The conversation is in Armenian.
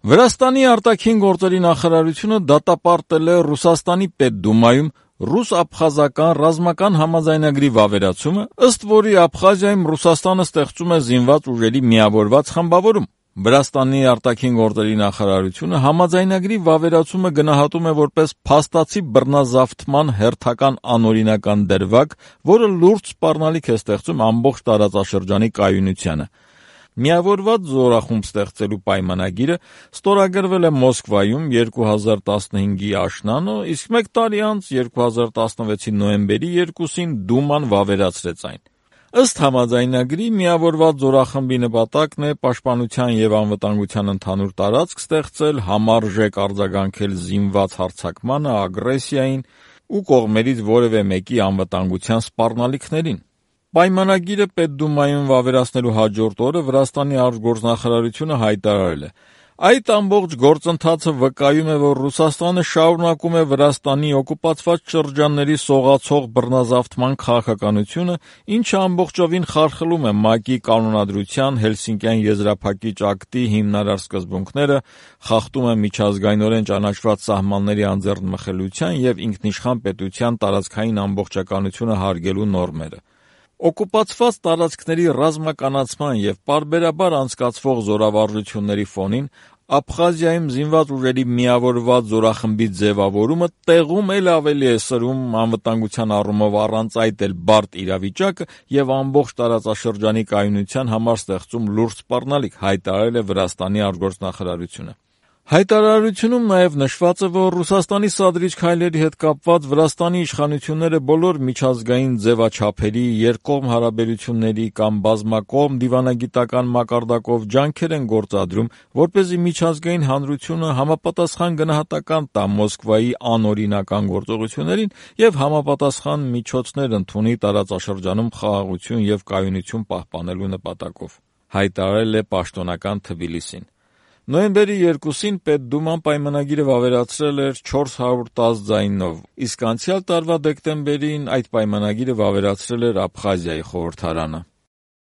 Վրաստանի արտաքին գործերի նախարարությունը դատապարտել է Ռուսաստանի Պետդումայում ռուս-աբխազական ռազմական համաձայնագրի վավերացումը, ըստ որի Աբխազիայում Ռուսաստանը ստեղծում է զինված ուժերի միավորված խմբավորում։ Վրաստանի արտաքին գործերի նախարարությունը համաձայնագրի վավերացումը գնահատում է որպես փաստացի բռնազավթման հերթական անօրինական դրվագ, որը լուրջ սպառնալիք է ստեղծում ամբողջ տարածաշրջանի կայունությանը։ Միավորված զորախումբ ստեղծելու պայմանագիրը ստորագրվել է Մոսկվայում 2015-ի աշնանը, իսկ մեկ տարի անց 2016-ի նոյեմբերի 2-ին Դուման վավերացրեց այն։ Ըստ համաձայնագրի միավորված զորախմբի նպատակն է պաշտպանության և անվտանգության ընդհանուր տարածք ստեղծել, համարժեք արձագանքել զինված հարձակմանը, ագրեսիային ու կողմերից որևէ մեկի անվտանգության սպառնալիքներին։ Պայմանագիրը Պետդումայում վավերացնելու հաջորդ օրը Վրաստանի արտգործնախարարությունը հայտարարել է. «Այդ ամբողջ գործընթացը վկայում է, որ Ռուսաստանը շարունակում է Վրաստանի օկուպացված շրջանների սողացող բռնազավթման քաղաքականությունը, ինչը ամբողջովին խարխլում է ՄԱԿ-ի կանոնադրության, Հելսինկյան եզրափակիչ ակտի հիմնարար սկզբունքները, խախտում է միջազգայնորեն ճանաչված սահմանների անձեռնմխելիության և ինքնիշխան պետության տարածքային ամբողջականությունը հարգելու նորմերը։ Օկուպացված տարածքների ռազմականացման և պարբերաբար անցկացվող զորավարժությունների ֆոնին Աբխազիայում զինված ուժերի միավորված զորախմբի ձևավորումը տեղում էլ ավելի է սրում անվտանգության առումով առանց այդ էլ բարդ իրավիճակը և ամբողջ տարածաշրջանի կայունության համար ստեղծում լուրջ սպառնալիք», հայտարարել է Վրաստանի արտգործնախարարությունը։ Հայտարարությունում նաև նշված է, որ Ռուսաստանի սադրիչ քայլերի հետ կապված Վրաստանի իշխանությունները բոլոր միջազգային ձևաչափերի, երկկողմ հարաբերությունների կամ բազմակողմ դիվանագիտական մակարդակով ջանքեր են գործադրում, որպեսզի միջազգային հանրությունը համապատասխան գնահատական տա Մոսկվայի անօրինական գործողություններին և համապատասխան միջոցներ ընդունի տարածաշրջանում խաղաղություն և կայունություն պահպանելու նպատակով, հայտարարել է պաշտոնական Թբիլիսին։ Նոյեմբերի 2-ին Պետդուման պայմանագիրը վավերացրել էր 410 ձայնով, իսկ անցյալ տարվա դեկտեմբերին այդ պայմանագիրը վավերացրել էր Աբխազիայի խորհրդարանը։